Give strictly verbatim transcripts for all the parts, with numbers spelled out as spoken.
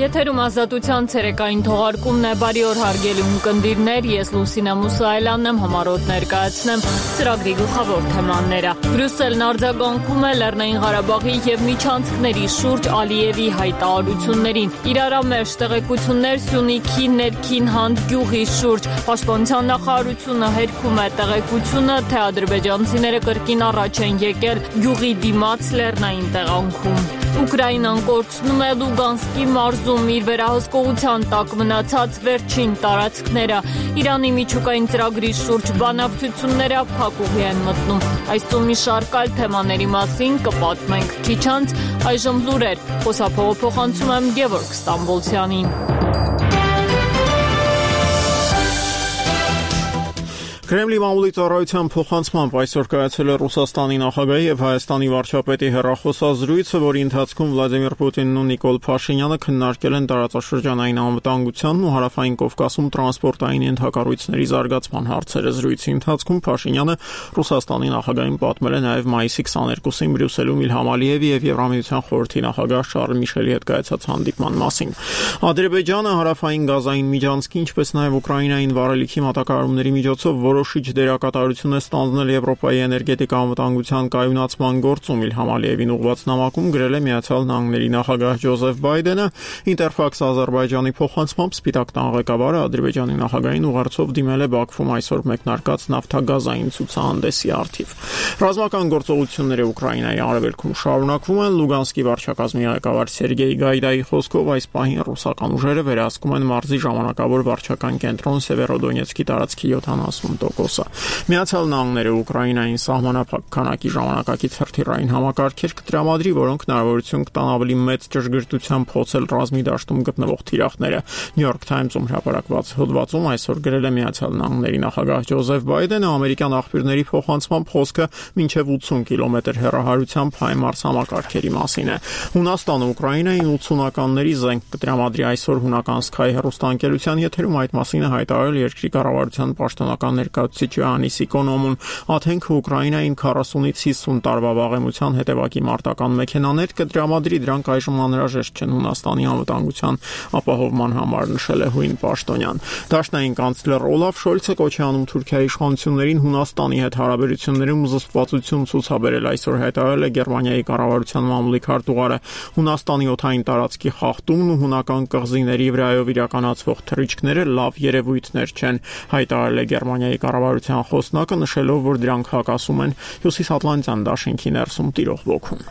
Եթերում ազատության ցերեկային թողարկումն է, բարի օր հարգելի ունկնդիրներ, ես Լուսինա Մուսայելյանն եմ, համառոտ ներկայացնեմ ծրագրի գլխավոր թեմաները։ Բրյուսելն արձագանքում է Լեռնային Ղարաբաղի և միջանցքների շուրջ Ալիևի հայտարարություններին։ Իրարամերժ տեղեկություններ Սյունիքի ներքին հանդգյուղի շուրջ։ Պաշտպանության նախարարությունը հերքում է տեղեկությունը, թե ադրբեջանցիները կրկին առաջ են եկել գյուղի դիմաց լեռնային տեղանքում։ Ուկրաինան կորցնում է Լուգանսկի մարզում իր վերահսկողության տակ մնացած վերջին տարածքները։ Իրանի միջուկային ծրագրի շուրջ բանակցությունները փակուղի են մտնում։ Այսօր մի շարք այլ թեմաների մասին կպատմենք քիչ անց, այժմ լուրեր, խոսափողը փոխանցում եմ Գևորգ Ստամբոլցյանին։ Կրեմլի մամուլի ծառայության փոխանցմամբ այսօր կայացել է Ռուսաստանի նախագահի եւ Հայաստանի վարչապետի հեռախոսազրույցը, որի ընթացքում Վլադիմիր Պուտինն ու Նիկոլ Փաշինյանը քննարկել են տարածաշրջանային անվտանգությանն ու հարավային Կովկասում տրանսպորտային ենթակառույցների զարգացման հարցերը։ Զրույցի ընթացքում Փաշինյանը Ռուսաստանի նախագահին պատմել է նաեւ մայիսի քսաներկուսին Բրյուսելում Իլհամ Ալիևի եւ Եվրամիության խորհրդի նախագահ Շարլ Միշելի հետ կայացած հանդիպման մասին։ Ադրբեջանը հարավային Գազային միջանցքի, ինչպես նաեւ Ուկրաինային վառելիքի մատակարարումների միջոցով որոշիչ դերակատարություն է ստանձնել Եվրոպայի էներգետիկ անվտանգության կայունացման գործում։ Իլհամ Ալիևին ուղղված նամակում գրել է Միացյալ Նահանգների նախագահ Ջոզեֆ Բայդենը։ Ինտերֆաքս Ադրբեջանի փոխանցմամբ Սպիտակ տան ղեկավարը Ադրբեջանի նախագահին ուղերձով դիմել է Բաքվում այսօր մեկնարկած նավթագազային ցուցահանդեսի առթիվ։ Ռազմական գործողությունները Ուկրաինայի արևելքում շարունակվում են։ Լուգանսկի վարչակազմի ղեկավար Սերգեյ Գայդայի խոսքով այս պահին ռուսական ուժերը վերահսկում են մարզի ժամանակավոր վարչական կենտրոն Սևերոդոնեցկի տարածքի յոթանասուն տոկոսը։ Միացյալ Նահանգները Ուկրաինային սահմանափակ քանակի ժամանակակից հրթիռային համակարգեր կտրամադրի, որոնք հնարավորություն կտան ավելի մեծ ճշգրտությամբ փոխել ռազմի դաշտում գտնվող թիրախները։ New York Times-ում հրապարակված հոդվածում այսօր գրել է Միացյալ Նահանգների նախագահ Ջոզեֆ Բայդենը, ամերիկյան աղբյուրների փոխանցմամբ խոսքը մինչև ութսուն կիլոմետր հեռահարությամբ HIMARS համակարգերի մասին է։ Հունաստանը Ուկրաինային ութսունականների զենք կտրամադրի այսօր հունական Sky հեռուստաընկերության եթերում այդ մասին է հայտարարել երկրի կառավարության պաշտոնական ներկայացուցիչ Յանիս Իկոնոմուն։ Աթենքը Ուկրաինային քառասունից հիսուն տարվա վաղեմության հետևակի մարտական մեքենաներ կտրամադրի, դրանք այժմ անհրաժեշտ չեն Հունաստանի անվտանգության ապահովման համար, նշել է հույն պաշտոնյան։ Դաշնային կանցլեր Օլաֆ Շոլցը կոչ է անում Թուրքիայի իշխանություններին Հունաստանի հետ հարաբերություններում զսպվածություն ցուցաբերել։ Այսօր հայտարարել է Գերմանիայի կառավարության մամուլի քարտուղարը։ Հունաստանի օդային տարածքի խախտումն ու հունական կղզիների վրայով իրականացվող թռիչքները լավ երևույթներ չեն, հայտարարել է Գերմանիայի կառավարության խոսնակը, նշելով, որ դրանք հակասում են Հյուսիսատլանտյան դաշինքի ներսում տիրող ոգուն։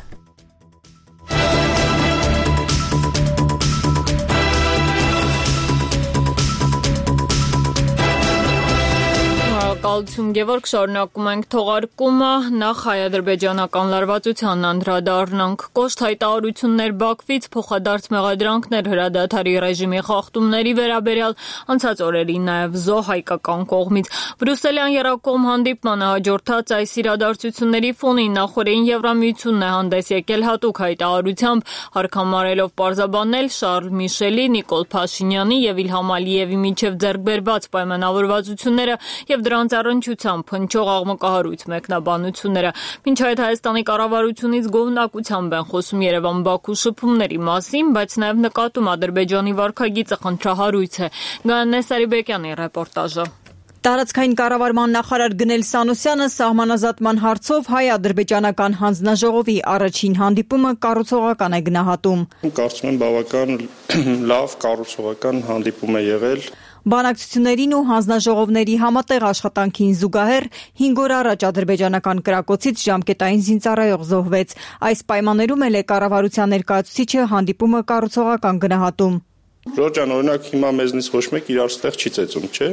Շնորհակալություն Գևորգ, շարունակում ենք թողարկումը, նախ հայ-ադրբեջանական լարվածությանն անդրադառնանք։ Կոշտ հայտարարություններ Բաքվից, փոխադարձ մեղադրանքներ հրադադարի ռեժիմի խախտումների վերաբերյալ, անցած օրերին նաև զոհ հայկական կողմից։ Բրյուսելյան եռակողմ հանդիպմանը հաջորդած այս իրադարձությունների ֆոնին նախօրեին Եվրամիությունն է հանդես եկել հատուկ հայտարարությամբ, հարկամարելով պարզաբանել Շարլ Միշելի, Նիկոլ Փաշինյանի և Իլհամ Ալիևի միջև ձեռք բերված պայմանավորվածությունները և դրանց առնչությամբ հնչող աղմկահարույց մեկնաբանությունները։ Մինչ այդ Հայաստանի կառավարությունից գոհունակությամբ են խոսում Երևան-Բաքու շփումների մասին, բայց նաև նկատում Ադրբեջանի վարքագիծը խնդրահարույց է։ Գայանե Սարիբեկյանի ռեպորտաժը։ Տարածքային կառավարման նախարար Գնել Սանոսյանը սահմանազատման հարցով հայ-ադրբեջանական հանձնաժողովի առաջին հանդիպումը կառուցողական է գնահատում։ Կարծում եմ բավական լավ կառուցողական հանդիպում է եղել։ Բանակցություններին ու հանձնաժողովների համատեղ աշխատանքին զուգահեռ հինգ օր առաջ ադրբեջանական կրակոցից ժամկետային զինծառայող զոհվեց։ Այս պայմաններում էլ է կառավարության ներկայացուցիչը հանդիպումը կառուցողական գնահատում։ Ռոջան, օրինակ հիմա մեզնից ոչ մեկ իրար ստեղ չի ծեծում, չէ՞։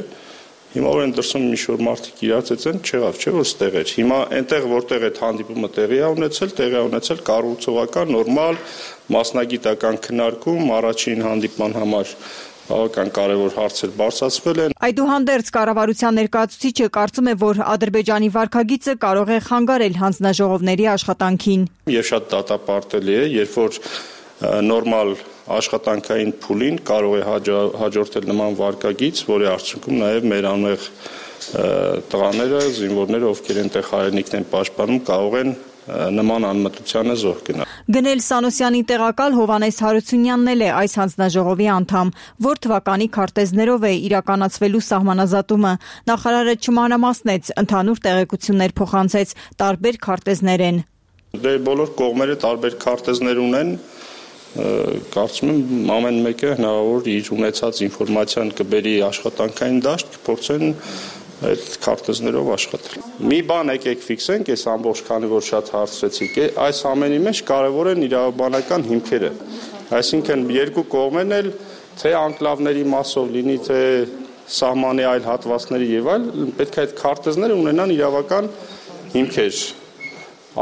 Հիմա որ են դրսում ինչ-որ մարդիկ իրար ծեծեն, չեղավ, չէ՞ որ ստեղ էր։ Հիմա այնտեղ որտեղ այդ հանդիպումը տեղի է ունեցել, տեղի է ունեցել կառուցողական, նորմալ, մասնագիտական քննարկում, առաջին հանդիպման համար բավական կարևոր հարցեր բարձրացվել են։ Այդուհանդերձ կառավարության ներկայացուցիչը կարծում է, որ Ադրբեջանի վարքագիծը կարող է խանգարել հանձնաժողովների աշխատանքին։ Եվ շատ դատապարտելի է, երբ որ նորմալ աշխատանքային փուլին կարող է հաջորդել նման վարքագիծ, որի արդյունքում նաև մեր անմեղ տղաները, զինվորները, ովքեր այնտեղ հայրենիքն են պաշտպանում, կարող են նման անմտությանը զոհ գնա։ Գնել Սանոսյանի տեղակալ Հովանես Հարությունյանն էլ է այս հանձնաժողովի անդամ, որ թվականի քարտեզներով է իրականացվելու սահմանազատումը։ Նախարարը չմանրամասնեց, ընդհանուր տեղեկություններ փոխանցեց, տարբեր քարտեզներ են։ Դե բոլոր կողմերը տարբեր քարտեզներ ունեն, կարծում եմ ամեն մեկը հնարավոր իր ունեցած ինֆորմացիան կբերի աշխատանքային դաշտ, կփորձեն այդ քարտեզներով աշխատել։ Մի բան եկեք ֆիքսենք, այս ամբողջ քանի որ շատ հարցրեցիք, այս ամենի մեջ կարևոր են իրավաբանական հիմքերը։ Այսինքն երկու կողմերն էլ թե անկլավների մասով լինի, թե սահմանի այլ հատվածների եւ այլ, պետք է այդ քարտեզները ունենան իրավական հիմքեր։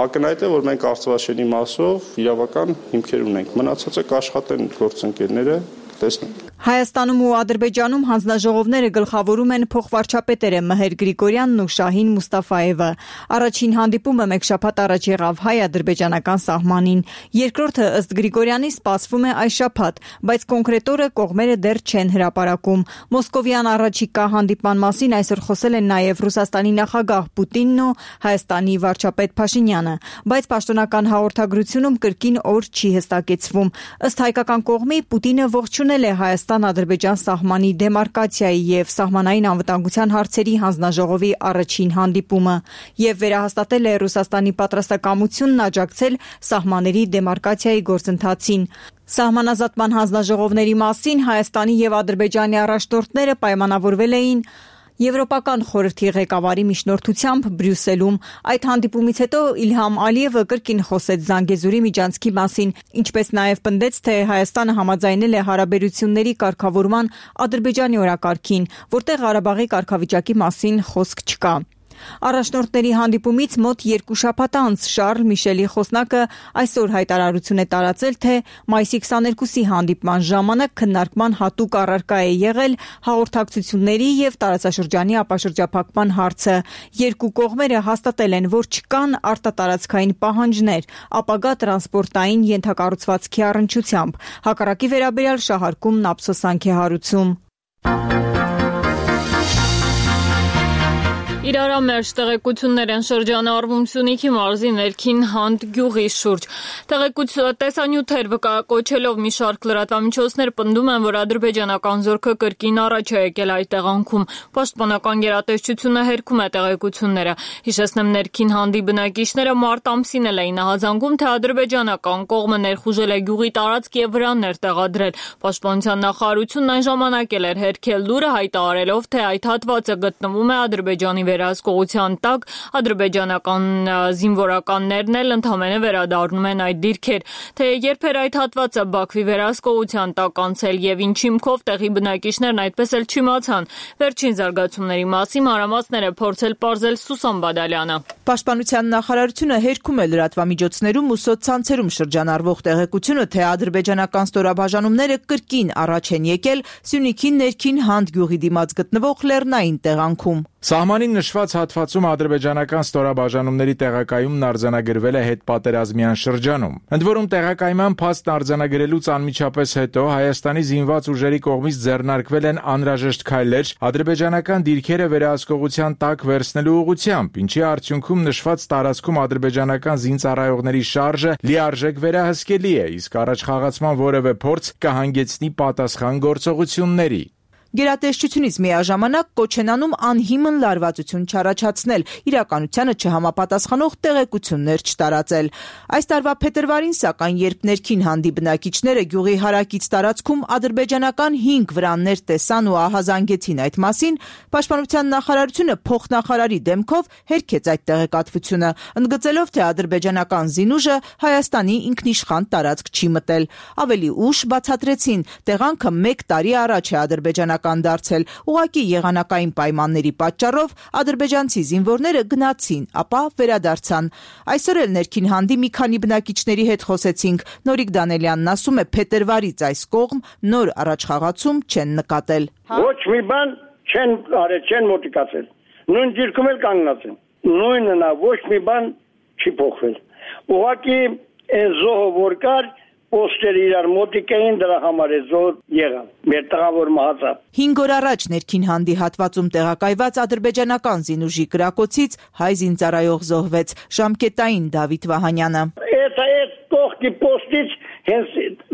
Ակնհայտ է, որ մենք Արցախաշենի մասով իրավական հիմքեր ունենք։ Մնացածը կաշխատեն գործընկերները, տեսնենք։ Հայաստանում ու Ադրբեջանում հանձնաժողովները գլխավորում են փոխվարչապետերը Մհեր Գրիգորյանն ու Շահին Մուստաֆաևը։ Առաջին հանդիպումը մեկ շաբաթ առաջ եղավ հայ-ադրբեջանական սահմանին։ Երկրորդը ըստ Գրիգորյանի սպասվում է այս շաբաթ, բայց կոնկրետ օրը կողմերը դեռ չեն հրապարակում։ Մոսկովյան առաջիկա հանդիպման մասին այսօր խոսել են նաև Ռուսաստանի նախագահ Պուտինն ու Հայաստանի վարչապետ Փաշինյանը, բայց պաշտոնական հաղորդագրությունում կրկին օր չի հստակեցվում։ Ըստ հայկական կողմի Պուտինը ողջունել է Հայաստան-Ադրբեջան սահմանի դեմարկացիայի եւ սահմանային անվտանգության հարցերի հանձնաժողովի առաջին հանդիպումը եւ վերահաստատել է Ռուսաստանի պատրաստակամությունն աջակցել սահմանների դեմարկացիայի գործընթացին։ Սահմանազատման հանձնաժողովների մասին Հայաստանի եւ Ադրբեջանի առաջնորդները պայմանավորվել էին Եվրոպական խորհրդի ղեկավարի միջնորդությամբ Բրյուսելում։ Այդ հանդիպումից հետո Իլհամ Ալիևը կրկին խոսեց Զանգեզուրի միջանցքի մասին, ինչպես նաև պնդեց, թե Հայաստանը համաձայնել է հարաբերությունների կարգավորման Ադրբեջանի օրակարգին, որտեղ Ղարաբաղի կարգավիճակի մասին խոսք չկա։ Առաջնորդների հանդիպումից մոտ երկու շաբաթ անց Շարլ Միշելի խոսնակը այսօր հայտարարություն է տարածել, թե մայիսի քսաներկուսի հանդիպման ժամանակ քննարկման հատուկ առարկա է եղել հաղորդակցությունների եւ տարածաշրջանի ապաշրջափակման հարցը։ Երկու կողմերը հաստատել են, որ չկան արտատարածքային պահանջներ ապագա տրանսպորտային ենթակառուցվածքի առնչությամբ։ Հակառակի վերաբերյալ շահարկումն ափսոսանք է հարուցում։ Իրարամերժ տեղեկություններ են շրջանառվում Սյունիքի մարզի ներքին Հանդ գյուղի շուրջ։ Տեսանյութեր վկայակոչելով մի շարք լրատվամիջոցներ պնդում են, որ ադրբեջանական զորքը կրկին առաջ է եկել այդ տեղանքում։ Պաշտպանական գերատեսչությունը հերքում է տեղեկությունները։ Հիշեցնեմ, ներքին Հանդի բնակիչները մարտ ամսին էլ էին ահազանգում, թե ադրբեջանական կողմը ներխուժել է գյուղի տարածք եւ վրաններ տեղադրել։ Պաշտպանության նախարարությունն այն ժամանակ էլ էր հերքել լուրը, հայտարարելով, թե այդ հատվածը գտնվում է Ադրբեջանի վերահսկողության տակ, ադրբեջանական զինվորականներն էլ ընդհանրապես վերադառնում են այդ դիրքեր, թե երբ էր այդ հատվածը Բաքվի վերահսկողության տակ անցել եւ ինչ հիմքով տեղի բնակիչներն այդպես էլ չիմացան։ Վերջին զարգացումների մասին մանրամասները փորձել պարզել Սուսան Բադալյանը։ Պաշտպանության նախարարությունը հերքում է լրատվամիջոցներում ու սոցցանցերում շրջանառվող տեղեկությունը, թե ադրբեջանական ստորաբաժանումները կրկին առաջ են եկել Սյունիքի ներքին Հանդ գյուղի դիմաց գտնվող լեռնային տեղանքում։ Սահմանին նշված հատվածում ադրբեջանական ստորաբաժանումների տեղակայումն արձանագրվել է հետպատերազմյան շրջանում։ Ընդ որում տեղակայման փաստն արձանագրելուց անմիջապես հետո Հայաստանի զինված ուժերի կողմից ձեռնարկվել են անհրաժեշտ քայլեր ադրբեջանական դիրքերը վերահսկողության տակ վերցնելու ուղղությամբ, ինչի արդյունքում նշված տարածքում ադրբեջանական զինծառայողների շարժը լիարժեք վերահսկելի է, իսկ առաջխաղացման որևէ փորձ կհանգեցնի պատասխան գործողությունների։ Գերատեսչությունից միաժամանակ կոչ են անում անհիմն լարվածություն չառաջացնել, իրականությանը չհամապատասխանող տեղեկություններ չտարածել։ Այս տարվա փետրվարին, սակայն, երբ ներքին Հանդի բնակիչները գյուղի հարակից տարածքում ադրբեջանական հինգ վրաններ տեսան ու ահազանգեցին այդ մասին, Պաշտպանության նախարարությունը փոխնախարարի դեմքով հերքեց այդ տեղեկատվությունը, ընդգծելով, թե ադրբեջանական զինուժը Հայաստանի ինքնիշխան տարածք չի մտել։ Ավելի ուշ բացատրեցին, տեղանքը մեկ տարի առաջ է ադրբեջանական դարձել, ուղղակի եղանակային պայմանների պատճառով ադրբեջանցի զինվորները գնացին, ապա վերադարձան։ Այսօր էլ ներքին Հանդի մի քանի բնակիչների հետ խոսեցինք։ Նորիկ Դանելյանն ասում է, փետրվարից այս կողմ նոր առաջխաղացում չեն նկատել։ Ոչ մի բան չեն արել, չեն մոտիկացել։ Նույն դիրքում էլ կանգնած են։ Նույնն է, ոչ մի բան չի փոխվել։ Ուղղակի այս զոհը որ կար, պոստերը իրար մոտիկ էին, դրա համար է զոհ եղան։ Մեր տղավոր մահացավ։ հինգ օր առաջ ներքին հանդի հատվածում տեղակայված ադրբեջանական զինուժի կրակոցից հայ զինծառայող զոհվեց։ Ժամկետային Դավիթ Վահանյանը։ Այդ այդ կողքի պոստից հենց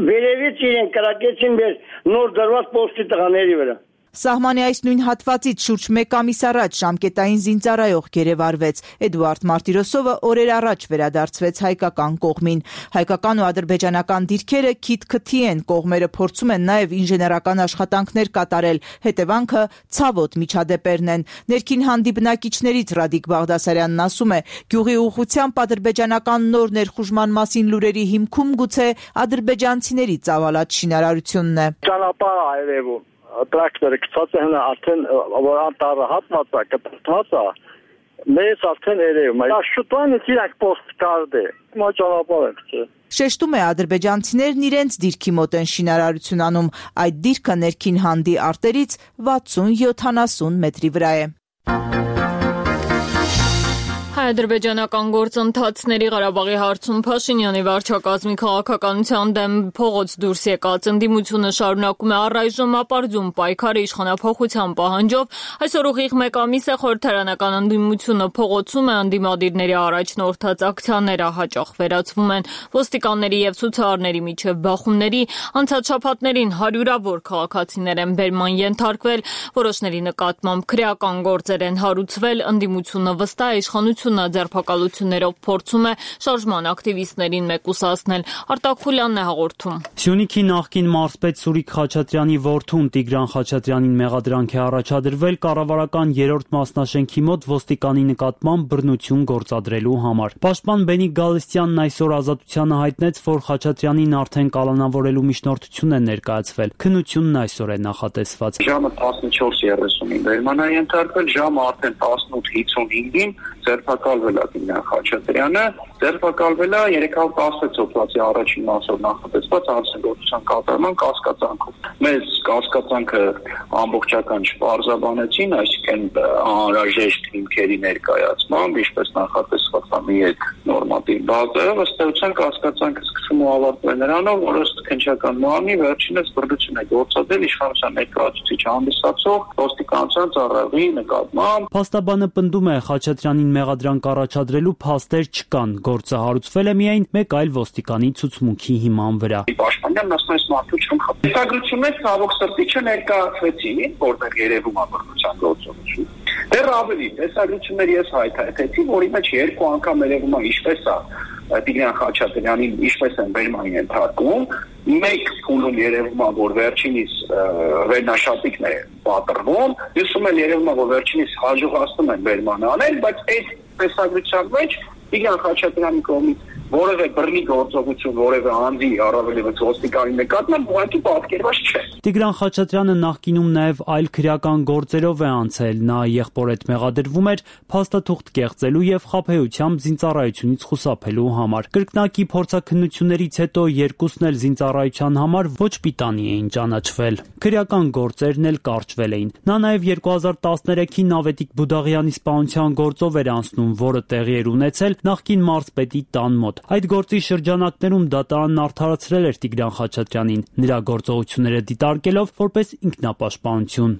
վերևից իրեն կրակեցին մեր նոր դրված պոստի տղաների վրա։ Սահմանի այս նույն հատվածից շուրջ մեկ ամիս առաջ ժամկետային զինծառայող գերեվարվեց։ Էդուարդ Մարտիրոսովը օրեր առաջ վերադարձվեց հայկական կողմին։ Հայկական ու ադրբեջանական դիրքերը քիթ-քթի են, կողմերը փորձում են նաև ինժեներական աշխատանքներ կատարել, հետևանքը ցավոտ միջադեպերն են։ Ներքին հանդի բնակիչներից Ռադիկ Բաղդասարյանն ասում է, գյուղի ուղղությամբ ադրբեջանական նոր ներխուժման մասին լուրերի հիմքում գուցե ադրբեջանցիների ծավալած շինարարությունն է։ Ճանապարհ այրևում տրակտորը գցած է հնա արդեն որ անտառը հատված է կտրված է մեծ արդեն երևում է շուտվան իրենք պոստ կարդե մոճանապար է Շեշտում է ադրբեջանցիներն իրենց դիրքի մոտ են շինարարություն անում այդ դիրքը ներքին հանդի արտերից վաթսուն յոթանասուն մետրի վրա է Հայ-ադրբեջանական գործընթացների Ղարաբաղի հարցում Փաշինյանի վարչակազմի քաղաքականության դեմ փողոց դուրս եկած ընդդիմությունը շարունակում է առայժմ ապարդյուն պայքարը իշխանափոխության պահանջով։ Այսօր ուղիղ մեկ ամիս է խորհրդարանական ընդդիմությունը փողոցում է, ընդդիմադիրների առաջնորդած ակցիաները հաճախ վերացվում են ոստիկանների եւ ցուցարարների միջև բախումների։ Անցած շաբաթներին հարյուրավոր քաղաքացիներ են բերման ենթարկվել, որոշների նկատմամբ քրեական գործեր են հարուցվել, ընդդիմությունը վստահ է իշխանությունը ձերբակալություններով փորձում է շարժման ակտիվիստներին մեկուսացնել։ Արտակ Խուլյանն է հաղորդում։ Սյունիքի նախկին մարզպետ Սուրիկ Խաչատրյանի որդուն Տիգրան Խաչատրյանին մեղադրանք է առաջադրվել կառավարական երրորդ մասնաշենքի մոտ ոստիկանի նկատմամբ բռնություն գործադրելու համար։ Պաշտպան Բենիկ Գալստյանն այսօր Ազատությանը հայտնեց, որ Խաչատրյանին արդեն կալանավորելու միջնորդություն է ներկայացվել։ Քննությունն այսօր է նախատեսված։ Ժամը տասնչորս երեսունին բերման է ենթարկվել, ժամը արդեն տասնութ հինգին ձերբակալվել է Տիգրան Խաչատրյանը, ձերբակալվել է երեք հարյուր տասնվեց օկտոբերի առաջին մասով նախատեսված հանցագործության կատարման կասկածանքով։ Մեզ կասկածանքը ամբողջական չպարզաբանեցին, այսինքն անհրաժեշտ հիմքերի ներկայացմամբ, ինչպես նախատեսված է մի երկ նորմատիվ բազայով, ըստ էության կասկածանքը սկսում ու ավարտվում է նրանով, որ ըստ քննչական նորմի վերջինս բռնություն է գործադրել իշխանության ներկայացուցիչ հանդիսացող ոստիկանության ծառայողի նկատմամբ։ Փաստաբանը պնդում է Խաչատրյանին մեղադրանք առաջադրելու փաստեր չկան, գործը հարուցվել է միայն մեկ այլ ոստիկանի ցուցմունքի հիման վրա։ Պաշտպանյանն ասում է մարդու չեմ խփել։ Հետագրություններ ցավոք սրտի չներկայացվեցին, որտեղ երևում է բռնության գործողություն։ Դեռ ավելի, հետագրություններ ես հայտարարեցի, որի մեջ երկու անգամ երևում է ինչպես է Տիգրան Խաչատրյանին ինչպես են բերման ենթարկում, մեկ փուլում երևում է, որ վերջինիս վերնաշապիկն է պատրվում, մյուսում էլ երևում է, որ վերջինիս հաջողացնում են բերման անել, բայց այդ տեսագրության մեջ Տիգրան Խաչատրյանի կողմից որևէ բռնի գործողություն, որևէ անձի առավելևս ոստիկանի նկատմամբ ուղղակի պատկերված չէ։ Տիգրան Խաչատրյանը նախկինում նաև այլ քրեական գործերով է անցել, նա եղբորդ մեղադրվում էր փաստաթուղթ կեղծելու եւ խաբեությամբ զինծառայությունից խուսափելու համար։ Կրկնակի փորձաքննություններից հետո երկուսն էլ զինծառայության համար ոչ պիտանի էին ճանաչվել։ Քրեական գործերն էլ կարճվել էին։ Նա նաև երկու հազար տասներեքին Նավետիկ Բուդաղյանի սպանության գործով էր անցնում, որը տեղի էր ունեցել նախկին մարզպետի տան մոտ։ Այդ գործի շրջանակներում դատարանն արդարացրել էր Տիգրան Խաչատրյանին, նրա գործողությունները դիտարկելով որպես ինքնապաշտպանություն։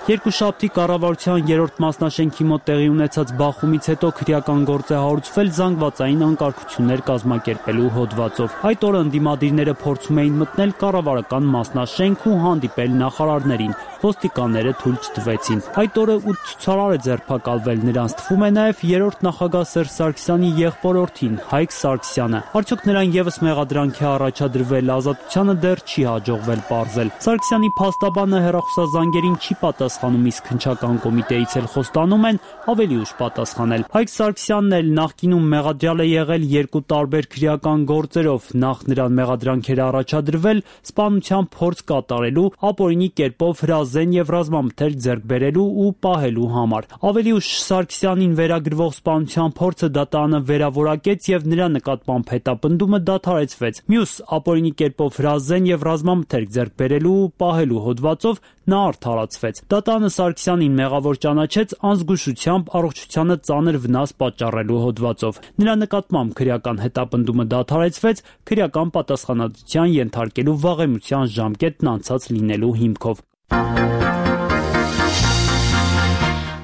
Երկուշաբթի կառավարության երրորդ մասնաշենքի մոտ տեղի ունեցած բախումից հետո քրեական գործ է հարուցվել զանգվածային անկարգություններ կազմակերպելու հոդվածով։ Այդ օրը ընդդիմադիրները փորձում էին մտնել կառավարական մասնաշենք ու հանդիպել նախարարներին։ Ոստիկանները թույլ չտվեցին։ Այդ օրը ութ ցուցարար է ձերբակալվել, նրանց թվում է նաև երրորդ նախագահ Սերժ Սարգսյանի եղբորորդին Հայկ Սարգսյանը։ Արդյոք նրան եւս մեղադրանք է առաջադրվել, Ազատությանը դեռ չի հաջողվել պարզել։ Սարգսյանի փաստաբանը հեռախոսազանգերին չի պատասխանում, իսկ քննչական կոմիտեից էլ խոստանում են ավելի ուշ պատասխանել։ Հայկ Սարգսյանն էլ նախկինում մեղադրյալ է եղել երկու տարբեր քրեական գործերով։ Նախ նրան մեղադրանքեր առաջադրվել սպանության փորձ կատարելու, ապօրինի կերպով հրազեն եւ ռազմամթերք ձեռք բերելու ու պահելու համար։ Ավելի ուշ Սարգսյանին վերագրվող սպանության փորձը դատարանը վերավորակեց եւ նրա նկատմամբ հետապնդումը դադարեցվեց։ Մյուս ապօրինի կերպով հրազեն եւ ռազմամթերք ձեռք բերելու ու պահելու հոդվածով նա արդարացվեց։ Դատանը Սարգսյանին մեղավոր ճանաչեց անզգուշությամբ առողջությանը ծանր վնաս պատճառելու հոդվածով։ Նրա նկատմամբ քրեական հետապնդումը դադարեցվեց քրեական պատասխանատվության ենթարկելու վաղեմության ժամկետն անցած լինելու հիմքով։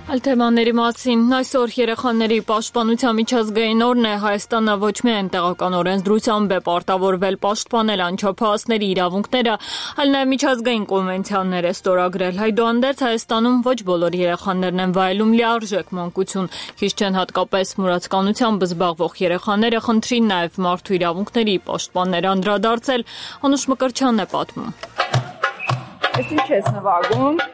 Այլ թեմաների մասին այսօր երեխաների պաշտպանության միջազգային օրն է։ Հայաստանը ոչ միայն տեղական օրենսդրությամբ է պարտավորվել պաշտպանել անչափահասների իրավունքները, այլ նաև միջազգային կոնվենցիաներ է ստորագրել։ Այդուհանդերձ Հայաստանում ոչ բոլոր երեխաներն են վայելում լիարժեք մանկություն։ Քիչ չեն հատկապես մուրացկանությամբ զբաղվող երեխաները, խնդրին նաև մարդու իրավունքների պաշտպաններ անդրադարձել։ Անուշ Մկրտչյանն է պատմում։ Ես ինչ ես նվագում։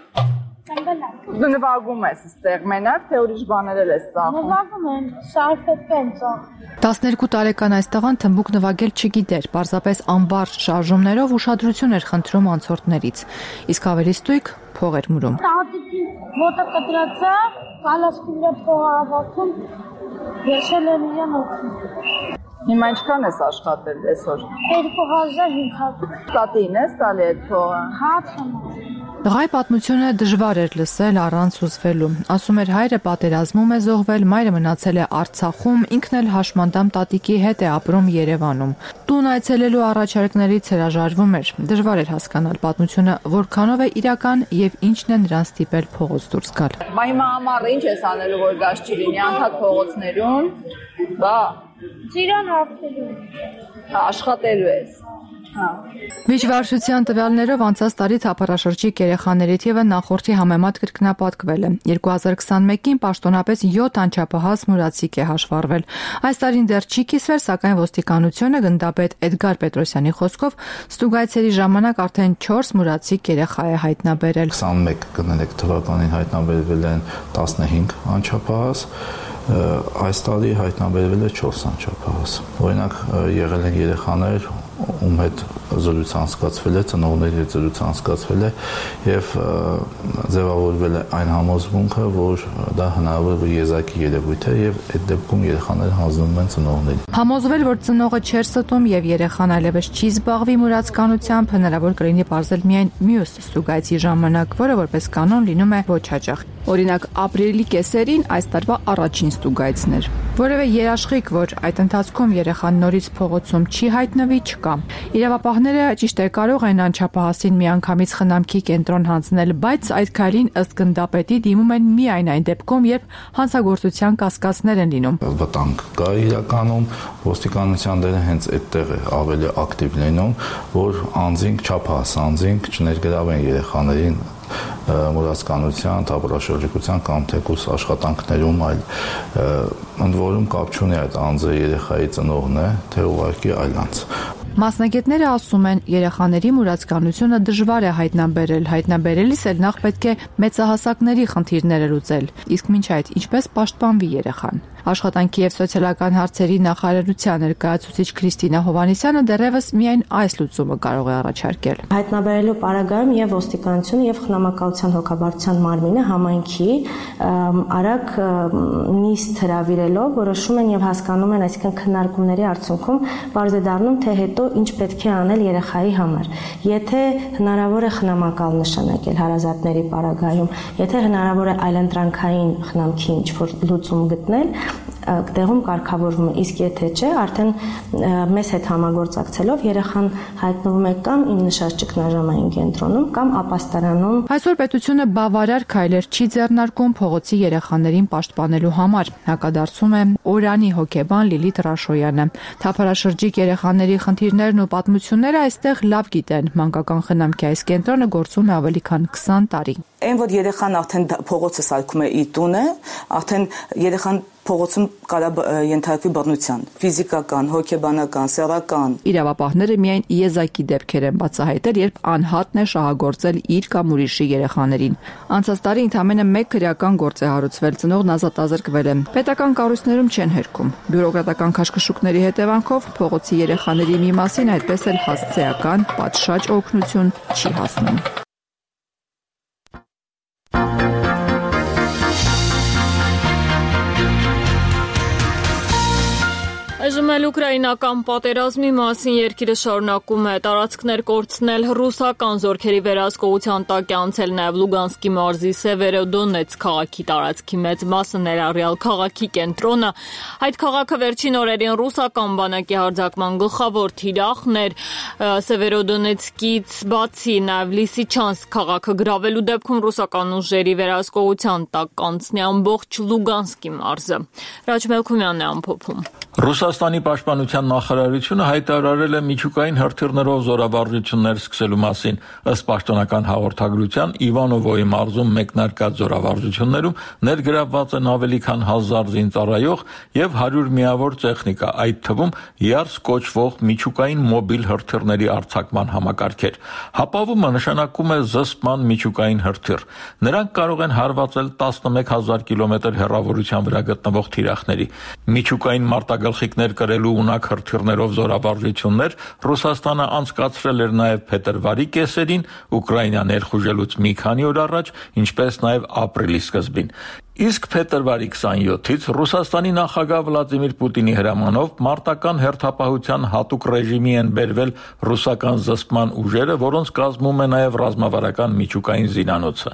Դու նվագում ես ստեղ մենակ, թե ուրիշ բաներ ես ծախում։ Նվագում եմ, շարֆետ եմ ծախում։ տասներկու տարեկան այս տղան թմբուկ նվագել չգիտեր, պարզապես անբարժ շարժումներով ուշադրություն էր խնդրում անցորդներից, իսկ ավելի ստույգ փող էր մուրում։ Տատիկի ոտը կտրած է, կալասկի վրա փող ավարտում, եսել եմ իրան օգնում։ Հիմա ինչքան ես աշխատել այսօր։ երկու հազար հինգ հարյուր։ Տատին ես տալի այդ փողը։ Հացում։ Տղայի պատմությունը դժվար էր լսել առանց հուզվելու։ Ասում էր հայրը պատերազմում է զոհվել, մայրը մնացել է Արցախում, ինքն էլ հաշմանդամ տատիկի հետ է ապրում Երևանում։ Տուն այցելելու առաջարկներից հրաժարվում էր։ Դժվար էր հասկանալ պատմությունը որքանով է իրական եւ ինչն է նրան ստիպել փողոց դուրս գալ։ Բա հիմա ամառը ինչ ես անելու, որ գազ չլինի անթադ փողոցներում։ Բա ծիրան հաղթելու։ Աշխատելու ես։ Վիճվարժության տվյալներով անցած տարի թափառաշրջիկ երեխաների թիվը նախորդի համեմատ կրկնապատկվել է։ երկու հազար քսանմեկին պաշտոնապես յոթ անչափահաս մուրացիկ է հաշվառվել։ Այս տարին դեռ չի կիսվել, սակայն ոստիկանությունը գնդապետ Էդգար Պետրոսյանի խոսքով ստուգայցերի ժամանակ արդեն չորս մուրացիկ երեխա է հայտնաբերել։ քսանմեկ կներեք թվականին հայտնաբերվել են տասնհինգ անչափահաս, այս տարի հայտնաբերվել է չորս անչափահաս։ Օրինակ եղել են երեխաներ, ում հետ զրույց անցկացվել է, ծնողների հետ զրույց անցկացվել է եւ ձևավորվել է այն համոզմունքը, որ դա հնարավոր է եզակի երևույթ է եւ այդ դեպքում երեխաները հանձնվում են ծնողներին։ Համոզվել, որ ծնողը չէր ստում եւ երեխան այլևս չի զբաղվի մուրացկանությամբ, հնարավոր կլինի պարզել միայն մյուս ստուգայցի ժամանակ, որը որպես կանոն լինում է ոչ հաճախ։ Օրինակ, ապրիլի կեսերին այս տարվա առաջին ստուգայցն էր։ Որևէ երաշխիք, որ այդ ընթացքում երեխան նորից փողոցում չի հայտնվի, չկա։ Իրավապահները ճիշտ է կարող են անչափահասին միանգամից խնամքի կենտրոն հանձնել, բայց այդ քայլին ըստ գնդապետի դիմում են միայն այն դեպքում, երբ հանցագործության կասկածներ են լինում։ Վտանգ կա իրականում, ոստիկանության դերը հենց այդտեղ է ավելի ակտիվ լինում, որ անձինք չափահաս անձինք չներգրավեն երեխաներին մուրացկանության, թափառաշրջիկության կամ թեկուզ աշխատանքներում, այլ ընդ որում կապ չունի այդ անձը երեխայի ծնողն է, թե ուղղակի այլ անձ։ Մասնագետները ասում են, երեխաների մուրացկանությունը դժվար է հայտնաբերել, հայտնաբերելիս էլ նախ պետք է մեծահասակների խնդիրները լուծել, իսկ մինչ այդ ինչպես պաշտպանվի երեխան։ Աշխատանքի եւ սոցիալական հարցերի նախարարության ներկայացուցիչ Քրիստինա Հովհաննիսյանը դեռևս միայն այս լուծումը կարող է առաջարկել։ Հայտնաբերելու պարագայում եւ ոստիկանությունը եւ խնամակալության հոգաբարձության մարմինը համայնքի արագ նիստ հրավիրելով որոշում են եւ հասկանում են, այսինքն քննարկումների արդյունքում բարձ է դառնում, թե հետո ինչ պետք է անել երեխայի համար։ Եթե հնարավոր է խնամակալ նշանակել հարազատների պարագայում, եթե հնարավոր է այլընտրանքային խնամքի ինչ-որ լուծում գտնել, տեղում կարգավորվում է, իսկ եթե չէ, արդեն մեզ հետ համագործակցելով երեխան հայտնվում է կամ իմ նշած ճգնաժամային կենտրոնում կամ ապաստարանում։ Այսօր պետությունը բավարար քայլեր չի ձեռնարկում փողոցի երեխաներին պաշտպանելու համար, հակադարձում է Օրանի հոգեբան Լիլիթ Ռաշոյանը։ Թափառաշրջիկ երեխաների խնդիրներն ու պատմությունները այստեղ լավ գիտեն։ Մանկական խնամքի այս կենտրոնը գործում է ավելի քան քսան տարի։ Այն որ երեխան արդեն փողոցը սարքում է իր տունը, արդեն երեխան փողոցում կարա ենթարկվի բռնության, ֆիզիկական, հոգեբանական, սեռական։ Իրավապահները միայն եզակի դեպքեր են բացահայտել, երբ անհատն է շահագործել իր կամ ուրիշի երեխաներին։ Անցած տարի ընդամենը մեկ քրեական գործ է հարուցվել, ծնողն ազատազրկվել է։ Պետական կառույցներում չեն հերքում։ Բյուրոկրատական քաշքշուկների հետևանքով փողոցի երեխաների մի մասին այդպես էլ հասցեական պատշաճ օգնություն չի հասնում։ Այժմ էլ ուկրաինական պատերազմի մասին երկիրը շարունակում է տարածքներ կորցնել ռուսական զորքերի վերահսկողության տակ է անցել նաև Լուգանսկի մարզի Սևերոդոնեցկ քաղաքի տարածքի մեծ մասը ներառյալ քաղաքի կենտրոնը։ Այդ քաղաքը վերջին օրերին ռուսական բանակի հարձակման գլխավոր թիրախն էր։ Սևերոդոնեցկից բացի նաև Լիսիչանսկ քաղաքը գրավելու դեպքում ռուսական ուժերի վերահսկողության տակ կանցնի ամբողջ Լուգանսկի մարզը։ Ռաջ Մելքումյանն է ամփոփում։ Ռուսաստանի պաշտպանության նախարարությունը հայտարարել է միջուկային հրթիռներով զորավարժություններ սկսելու մասին։ Ըստ պաշտոնական հաղորդագրության Իվանովոյի մարզում մեկնարկած զորավարժություններում ներգրավված են ավելի քան հազար զինծառայող եւ հարյուր միավոր տեխնիկա, այդ թվում ԵԱՐՍ կոչվող միջուկային մոբիլ հրթիռների արձակման համակարգեր։ Հապավումը նշանակում է զսպման միջուկային հրթիռ։ Նրանք կարող են հարվածել տասնմեկ հազար կիլոմետր հեռավորության վրա գտնվող թիրախների։ Միջուկային մարտագլխիկներ կրելու ունակ հրթիռներով զորավարժություններ Ռուսաստանը անցկացրել էր նաև փետրվարի կեսերին, Ուկրաինա ներխուժելուց մի քանի օր առաջ, ինչպես նաև ապրիլի սկզբին։ Իսկ փետրվարի քսաներկուից Ռուսաստանի նախագահ Վլադիմիր Պուտինի հրամանով մարտական հերթապահության հատուկ ռեժիմի են բերվել ռուսական զսպման ուժերը, որոնց կազմում է նաև ռազմավարական միջուկային զինանոցը։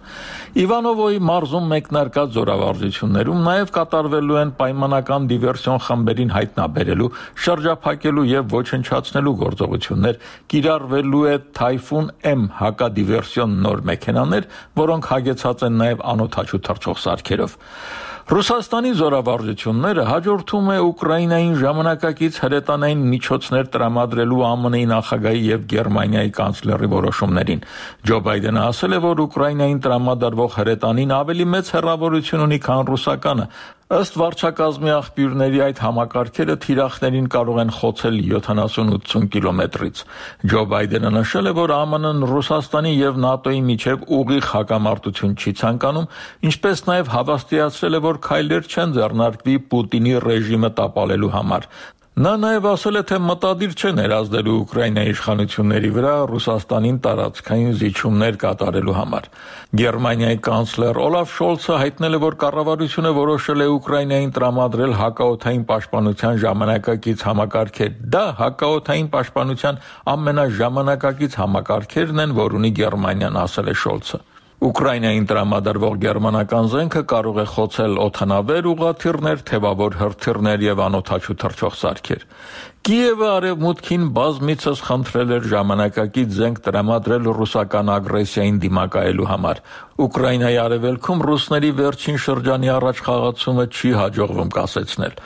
Իվանովոյի մարզում մեկնարկած զորավարժություններում նաև կատարվելու են պայմանական դիվերսիոն խմբերին հայտնաբերելու, շրջափակելու եւ ոչնչացնելու գործողություններ, կիրառվելու է Թայֆուն M հակադիվերսիոն նոր մեքենաներ, որոնք հագեցած են նաև անօդաչու թռչող սարքերով։ Ռուսաստանի զորավարժությունները հաջորդում է Ուկրաինային ժամանակակից հրետանային միջոցներ տրամադրելու ԱՄՆ-ի նախագահի եւ Գերմանիայի կանցլերի որոշումներին։ Ջո Բայդենը ասել է, որ Ուկրաինային տրամադրվող հրետանին ավելի մեծ հեռավորություն ունի, քան ռուսականը։ Ըստ վարչակազմի աղբյուրների այդ համակարգերը թիրախներին կարող են խոցել յոթանասուն-ութսուն կիլոմետրից։ Ջո Բայդենը նշել է, որ ԱՄՆ-ն Ռուսաստանի եւ ՆԱՏՕ-ի միջև ուղիղ հակամարտություն չի ցանկանում, ինչպես նաև հավաստիացրել է, որ քայլեր չեն ձեռնարկվի Պուտինի ռեժիմը տապալելու համար։ Նա նաև ասել է, թե մտադիր չէ ներազդելու Ուկրաինայի իշխանությունների վրա Ռուսաստանին տարածքային զիջումներ կատարելու համար։ Գերմանիայի կանցլեր Օլաֆ Շոլցը հայտնել է, որ կառավարությունը որոշել է Ուկրաինային տրամադրել հակաօդային պաշտպանության ժամանակակից համակարգեր։ Դա հակաօդային պաշտպանության ամենաժամանակակից համակարգերն են, որ ունի Գերմանիան, ասել է Շոլցը։ Ուկրաինային տրամադրվող գերմանական զենքը կարող է խոցել օդանավեր, ուղղաթիռներ, թևավոր հրթիռներ եւ անօդաչու թռչող սարքեր։ Կիևը արևմուտքին բազմիցս խնդրել էր ժամանակակից զենք տրամադրել ռուսական ագրեսիային դիմակայելու համար։ Ուկրաինայի արևելքում ռուսների վերջին շրջանի առաջխաղացումը չի հաջողվում կասեցնել։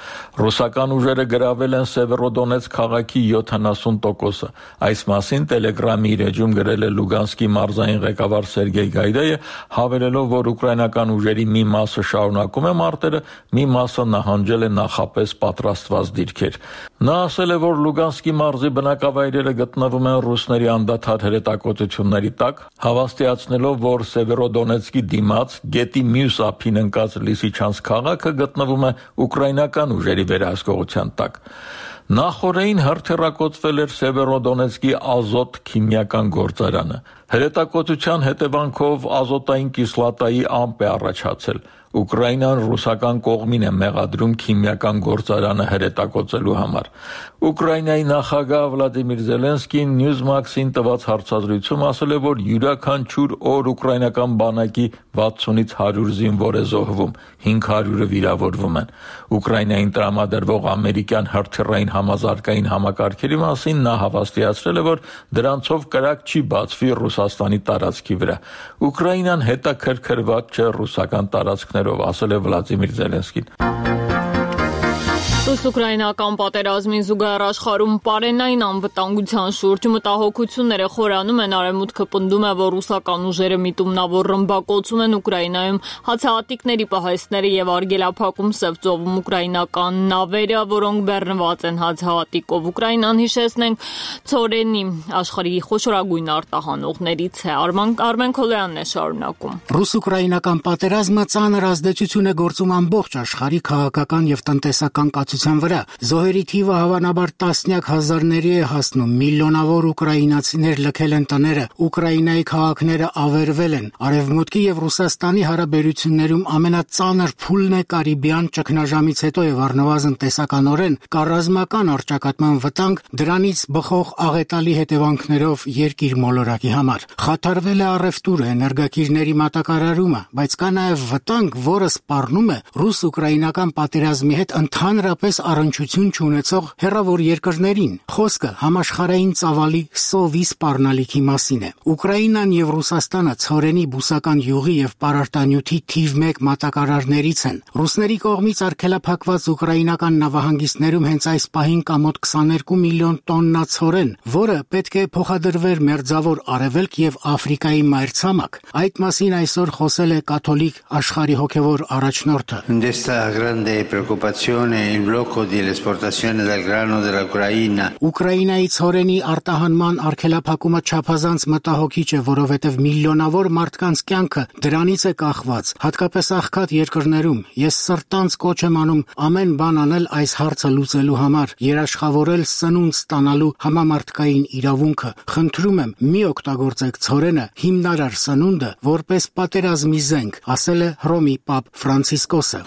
Ռուսական ուժերը գրավել են Սևերոդոնեցկ քաղաքի յոթանասուն տոկոսը։ Այս մասին Telegram-ի իր էջում գրել է Լուգանսկի մարզային ղեկավար Սերգեյ Գայդայը, հավելելով, որ ուկրաինական ուժերի մի մասը շարունակում է մարտերը, մի մասը նահանջել է նախապես պատրաստված դիրքեր։ Նա ասել է, որ Լուգանսկի մարզի բնակավայրերը գտնվում են ռուսների անդադար հրետակոծությունների տակ, հավաստիացնելով, որ Սևերոդոնեցկի դիմաց գետի մյուս ափին ընկած Լիսիչանսկ քաղաքը գտնվում է ուկրաինական ուժերի վերահսկողության տակ։ Նախորդին հրթիռակոծվել էր Սևերոդոնեցկի ազոտ քիմիական գործարանը։ Հրետակոծության հետևանքով ազոտային կիսլատայի ամպ է առաջացել։ Ուկրաինան ռուսական կողմին է մեղադրում քիմիական գործարանը հրետակոծելու համար։ Ուկրաինայի նախագահ Վլադիմիր Զելենսկին Newsmax-ին տված հարցազրույցում ասել է, որ յուրաքանչյուր օր ուկրաինական բանակի վաթսունից հարյուր զինվոր է զոհվում, հինգ հարյուրը վիրավորվում են։ Ուկրաինային տրամադրվող ամերիկյան հրթիռային համազարգային համակարգերի մասին նա հավաստիացրել է, որ դրանցով կրակ չի բացվի Ռուսաստանի տարածքի վրա։ Ուկրաինան հետաքրքրված չէ ռուսական տարածքներով, ասել է Վլադիմիր Զելենսկին։ Ռուս-ուկրաինական պատերազմին զուգահեռ աշխարհում պարենային անվտանգության շուրջ մտահոգությունները խորանում են։ Արևմուտքը պնդում է, որ ռուսական ուժերը միտումնավոր ռմբակոծում են Ուկրաինայում հացահատիկների պահեստները եւ արգելափակում Սև ծովում ուկրաինական նավերը, որոնք բեռնված են հացահատիկով։ Ուկրաինան, հիշեցնենք, ցորենի աշխարհի խոշորագույն արտահանողներից է։ Արման Արմեն Քոլյանն է շարունակում։ Ռուս-ուկրաինական պատերազմը ծանր ազդեցություն է գործում ամբողջ աշխարհի քաղաքական եւ տնտեսական կացության հեղափոխության վրա։ Զոհերի թիվը հավանաբար տասնյակ հազարների է հասնում, միլիոնավոր ուկրաինացիներ լքել են տները, Ուկրաինայի քաղաքները ավերվել են։ Արևմուտքի եւ Ռուսաստանի հարաբերություններում ամենածանր փուլն է Կարիբյան ճգնաժամից հետո եւ առնվազն տեսականորեն կա ռազմական առճակատման վտանգ, դրանից բխող աղետալի հետևանքներով երկիր մոլորակի համար։ Խաթարվել է առևտուրը, էներգակիրների մատակարարումը, բայց կա նաեւ վտանգ, որը սպառնում է ռուս-ուկրաինական պատերազմի հետ ընդհանրապես առնչություն չունեցող հեռավոր երկրներին։ Խոսքը համաշխարհային ծավալի սովի սպառնալիքի մասին է։ Ուկրաինան եւ Ռուսաստանը ցորենի բուսական յուղի եւ պարարտանյութի թիվ մեկ մատակարարներից են։ Ռուսների կողմից արգելափակված ուկրաինական նավահանգիստներում հենց այս պահին կա մոտ քսաներկու միլիոն տոննա ցորեն, որը պետք է փոխադրվեր Մերձավոր Արևելք եւ Աֆրիկայի մայրցամաք։ Այդ մասին այսօր խոսել է կաթոլիկ աշխարհի հոգևոր առաջնորդը։ Ուկրաինայի ցորենի արտահանման արգելափակումը չափազանց մտահոգիչ է, որովհետև միլիոնավոր մարդկանց կյանքը դրանից է կախված, հատկապես աղքատ երկրներում։ Ես սրտանց կոչ եմ անում ամեն բան անել այս հարցը լուծելու համար, երաշխավորել սնունդ ստանալու համամարտկային իրավունքը։ Խնդրում եմ, մի օգտագործեք ցորենը, հիմնարար սնունդը, որպես պատերազմի զենք, ասել է Հռոմի պապ Ֆրանցիսկոսը։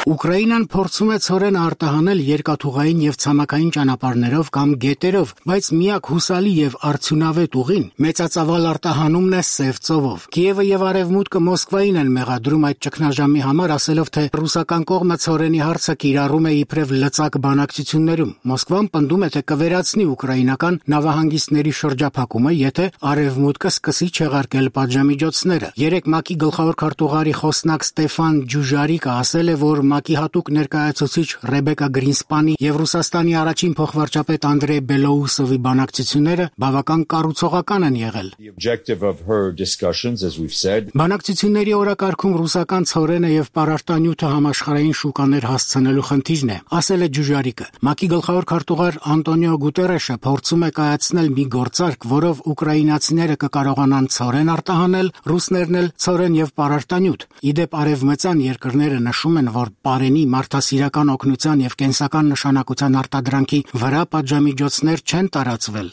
Ուկրաինան փորձում է ցորենը արտահանել երկաթուղային եւ ցամաքային ճանապարհներով կամ գետերով, բայց միակ հուսալի եւ արդյունավետ ուղին մեծածավալ արտահանումն է Սև ծովով։ Կիևը եւ Արևմուտքը Մոսկվային են մեղադրում այդ ճգնաժամի համար, ասելով, թե ռուսական կողմը ցորենի հարցը կիրառում է իբրև լծակ բանակցություններում։ Մոսկվան պնդում է, թե կվերացնի ուկրաինական նավահանգիստների շրջափակումը, եթե Արևմուտքը սկսի չեղարկել պատժամիջոցները։ Երեք ՄԱԿ-ի գլխավոր քարտուղարի խոսնակ Ստեֆան Ջուժարիկը ասել է, որ ՄԱԿ-ի հատուկ ներկայացուցիչ Ռեբեկա Գրինսպանի եւ Ռուսաստանի առաջին փոխվարչապետ Անդրեյ Բելոուսովի բանակցությունները բավական կառուցողական են եղել։ Բանակցությունների օրակարգում ռուսական ցորենը եւ պարարտանյութը համաշխարհային շուկաներ հասցնելու խնդիրն է, ասել է Ջուժարիկը։ ՄԱԿ-ի գլխավոր քարտուղար Անտոնիո Գուտերեշը փորձում է կայացնել մի գործարք, որով ուկրաինացիները կկարողանան ցորեն արտահանել, ռուսներն էլ ցորեն եւ պարարտանյութ։ Իդեպ արևմտյան երկրները նշում են, որ Պարենի մարդասիրական օգնության եւ կենսական նշանակության արտադրանքի վրա պատժամիջոցներ չեն տարածվել։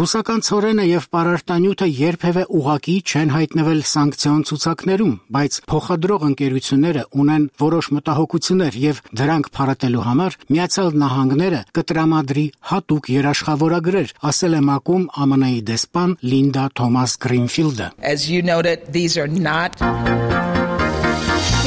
Ռուսական ցորենը եւ պարարտանյութը երբևէ ուղղակի չեն հայտնվել սանկցիոն ցուցակներում, բայց փոխադրող ընկերությունները ունեն որոշ մտահոգություններ եւ դրանք փարատելու համար Միացյալ Նահանգները կտրամադրի հատուկ երաշխավորագրեր, ասել է ՄԱԿ-ում ԱՄՆ Ամենայի դեսպան Լինդա Թոմաս Գրինֆիլդը։ As you noted, these are not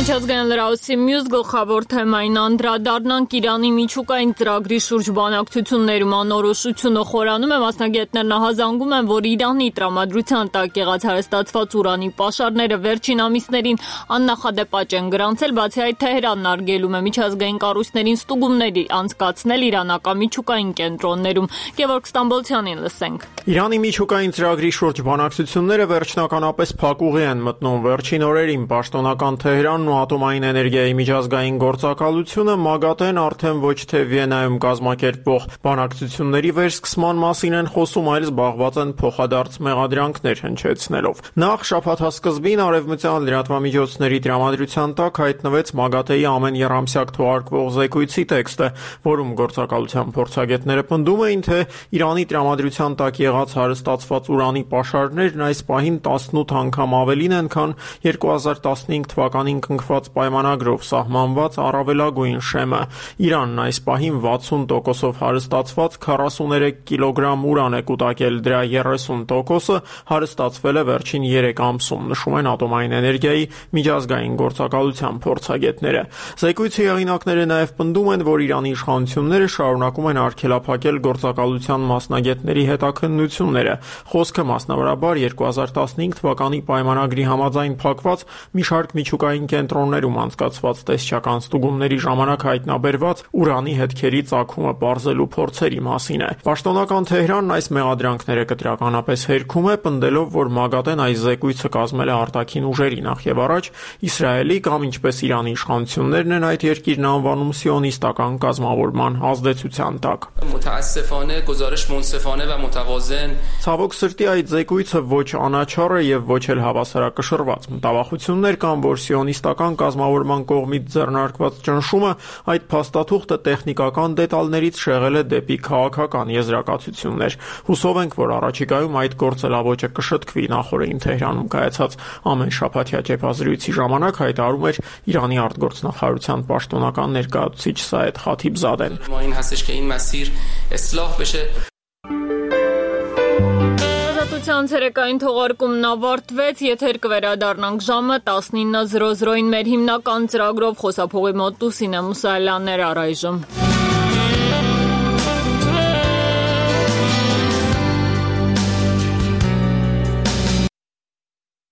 Միջազգային լրահոսի մյուս գլխավոր թեմային անդրադառնանք Իրանի միջուկային ծրագրի շուրջ բանակցություններում անորոշությունը խորանում է, մասնագետներն ահազանգում են, որ Իրանի տրամադրության տակ եղած հարստացված ուրանի պաշարները վերջին ամիսներին աննախադեպ են գրանցել, բացի այդ Թեհրանն արգելում է միջազգային կառույցներին ստուգումների անցկացնել իրանական միջուկային կենտրոններում։ Գևորգ Ստամբոլցյանին լսենք։ Իրանի միջուկային ծրագրի շուրջ բանակցությունները վերջնականապես փակուղի են մտնում վերջին օրերին պաշտոնական Թեհրանն ու ատոմային էներգիայի միջազգային գործակալությունը ՄԱԳԱՏԵ-ն արդեն ոչ թե Վիեննայում կազմակերպվող բանակցությունների վերսկսման մասին են խոսում, այլ զբաղված են փոխադարձ մեղադրանքներ հնչեցնելով։ Նախ շաբաթասկզբին արևմտյան լրատվամիջոցների տրամադրության տակ հայտնվեց ՄԱԳԱՏԵ-ի ամեն եռամսյակ թողարկվող զեկույցի տեքստը, որում գործակալության փորձագետները պնդում էին, թե Իրանի տրամադրության տակ եղած հարստացված ուրանի պաշարներն այս պահին տասնութ անգամ ավելին են, քան երկու հազար տասնհինգ թվականին կնքված պայմանագրով սահմանված առավելագույն շեմը։ Իրանն այս պահին վաթսուն տոկոսով հարստացված քառասուներեք կիլոգրամ ուրան է կուտակել, դրա երեսուն տոկոսը հարստացվել է վերջին երեք ամսում, նշում են ատոմային էներգիայի միջազգային գործակալության փորձագետները։ Զեկույցի հեղինակները նաև պնդում են, որ Իրանի իշխանությունները շարունակում են արգելափակել գործակալության մասնագետների հետաքննությունները։ Խոսքը մասնավորաբար երկու հազար տասնհինգ թվականի պայմանագրի համաձայն փակված մի շարք միջուկային կենտրոնների կենտրոններում անցկացված տեսչական ստուգումների ժամանակ հայտնաբերված ուրանի հետքերի ծագումը պարզելու փորձերի մասին է։ Պաշտոնական Թեհրանն այս մեղադրանքները կտրականապես հերքում է, պնդելով, որ ՄԱԳԱՏԷ-ն այս զեկույցը կազմել է արտաքին ուժերի նախ եւ առաջ Իսրայելի կամ ինչպես Իրանի իշխանություններն են այդ երկիրն անվանում սիոնիստական կազմավորման ազդեցության տակ։ Ցավոք սրտի այդ զեկույցը ոչ անաչառ է եւ ոչ էլ հավասարակշռված։ Մտավախություններ կան, որ սիոնիստական կազմավորման կողմից ձեռնարկված ճնշումը այդ փաստաթուղթը տեխնիկական դետալներից շեղել է դեպի քաղաքական եզրակացություններ։ Հուսով ենք, որ առաջիկայում այդ գործելավոճը կշտկվի։ Նախորդին Թեհրանում կայացած ամենշաբաթյա ճեպազրույցի ժամանակ հայտարարում էր Իրանի արտգործնախարարության պաշտոնական ներկայացուցիչ Սայեդ Խաթիբզադեն։ Ազատության ցերեկային թողարկումն ավարտվեց, եթեր կվերադառնանք ժամը տասնինը զրո զրոին մեր հիմնական ծրագրով խոսափողի մոտ Լուսինե Մուսայելյանն էր առայժմ։